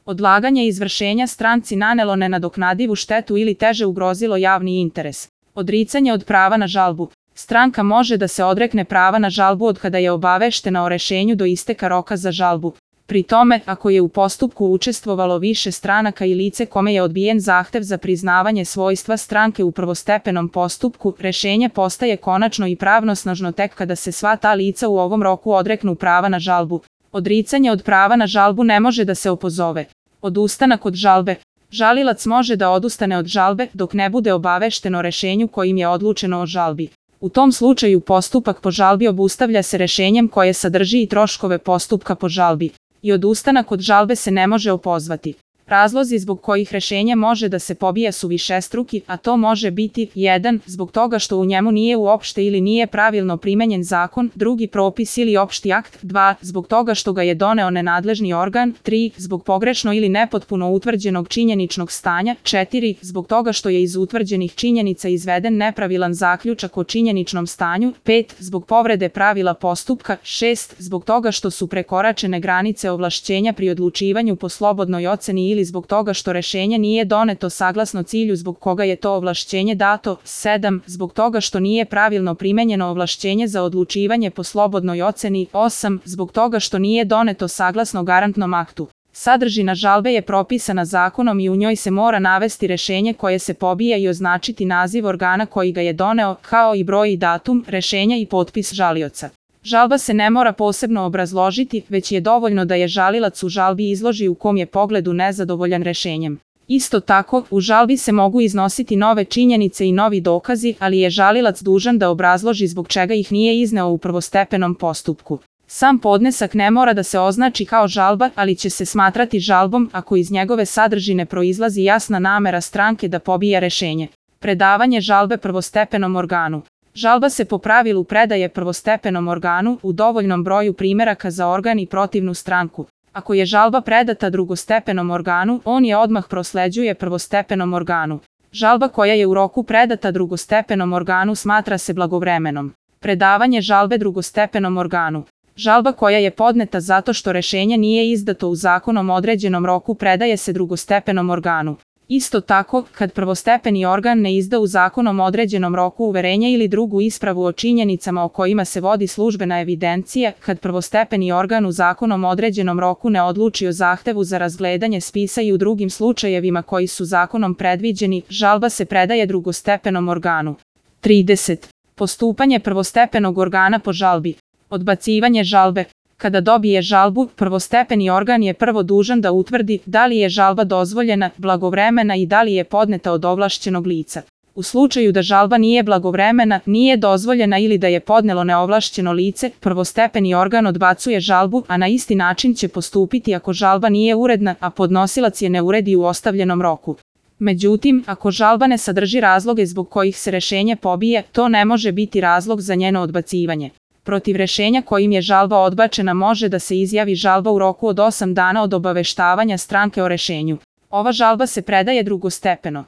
Odlaganje izvršenja stranci nanelo nenadoknadivu štetu ili teže ugrozilo javni interes. Odricanje od prava na žalbu. Stranka može da se odrekne prava na žalbu od kada je obaveštena o rešenju do isteka roka za žalbu. Pri tome, ako je u postupku učestvovalo više stranaka i lice kome je odbijen zahtev za priznavanje svojstva stranke u prvostepenom postupku, rešenje postaje konačno i pravnosnažno tek kada se sva ta lica u ovom roku odreknu prava na žalbu. Odricanje od prava na žalbu ne može da se opozove. Odustanak od žalbe. Žalilac može da odustane od žalbe dok ne bude obavešten o rešenju kojim je odlučeno o žalbi. U tom slučaju postupak po žalbi obustavlja se rešenjem koje sadrži i troškove postupka po žalbi. I odustanak od žalbe se ne može opozvati. Razlozi zbog kojih rešenje može da se pobije su višestruki, a to može biti 1. Zbog toga što u njemu nije uopšte ili nije pravilno primenjen zakon, drugi propis ili opšti akt, 2. Zbog toga što ga je doneo nenadležni organ, 3. Zbog pogrešno ili nepotpuno utvrđenog činjeničnog stanja, 4. Zbog toga što je iz utvrđenih činjenica izveden nepravilan zaključak o činjeničnom stanju, 5. Zbog povrede pravila postupka, 6. Zbog toga što su prekoračene granice ovlašćenja pri odlučivanju po slobodnoj oceni ili zbog toga što rešenje nije doneto saglasno cilju zbog koga je to ovlašćenje dato, 7. Zbog toga što nije pravilno primenjeno ovlašćenje za odlučivanje po slobodnoj oceni, 8. Zbog toga što nije doneto saglasno garantnom aktu. Sadržina žalbe je propisana zakonom i u njoj se mora navesti rešenje koje se pobija i označiti naziv organa koji ga je doneo, kao i broj i datum rešenja i potpis žalioca. Žalba se ne mora posebno obrazložiti, već je dovoljno da je žalilac u žalbi izloži u kom je pogledu nezadovoljan rešenjem. Isto tako, u žalbi se mogu iznositi nove činjenice i novi dokazi, ali je žalilac dužan da obrazloži zbog čega ih nije izneo u prvostepenom postupku. Sam podnesak ne mora da se označi kao žalba, ali će se smatrati žalbom ako iz njegove sadržine proizlazi jasna namera stranke da pobija rešenje. Predavanje žalbe prvostepenom organu. Žalba se po pravilu predaje prvostepenom organu u dovoljnom broju primeraka za organ i protivnu stranku. Ako je žalba predata drugostepenom organu, on je odmah prosleđuje prvostepenom organu. Žalba koja je u roku predata drugostepenom organu smatra se blagovremenom. Predavanje žalbe drugostepenom organu. Žalba koja je podneta zato što rešenje nije izdato u zakonom određenom roku predaje se drugostepenom organu. Isto tako, kad prvostepeni organ ne izda u zakonom određenom roku uverenje ili drugu ispravu o činjenicama o kojima se vodi službena evidencija, kad prvostepeni organ u zakonom određenom roku ne odluči o zahtevu za razgledanje spisa i u drugim slučajevima koji su zakonom predviđeni, žalba se predaje drugostepenom organu. 30. Postupanje prvostepenog organa po žalbi. Odbacivanje žalbe. Kada dobije žalbu, prvostepeni organ je prvo dužan da utvrdi da li je žalba dozvoljena, blagovremena i da li je podneta od ovlašćenog lica. U slučaju da žalba nije blagovremena, nije dozvoljena ili da je podnelo neovlašćeno lice, prvostepeni organ odbacuje žalbu, a na isti način će postupiti ako žalba nije uredna, a podnosilac je ne uredi u ostavljenom roku. Međutim, ako žalba ne sadrži razloge zbog kojih se rešenje pobije, to ne može biti razlog za njeno odbacivanje. Protiv rešenja kojim je žalba odbačena može da se izjavi žalba u roku od 8 dana od obaveštavanja stranke o rešenju. Ova žalba se predaje drugostepeno.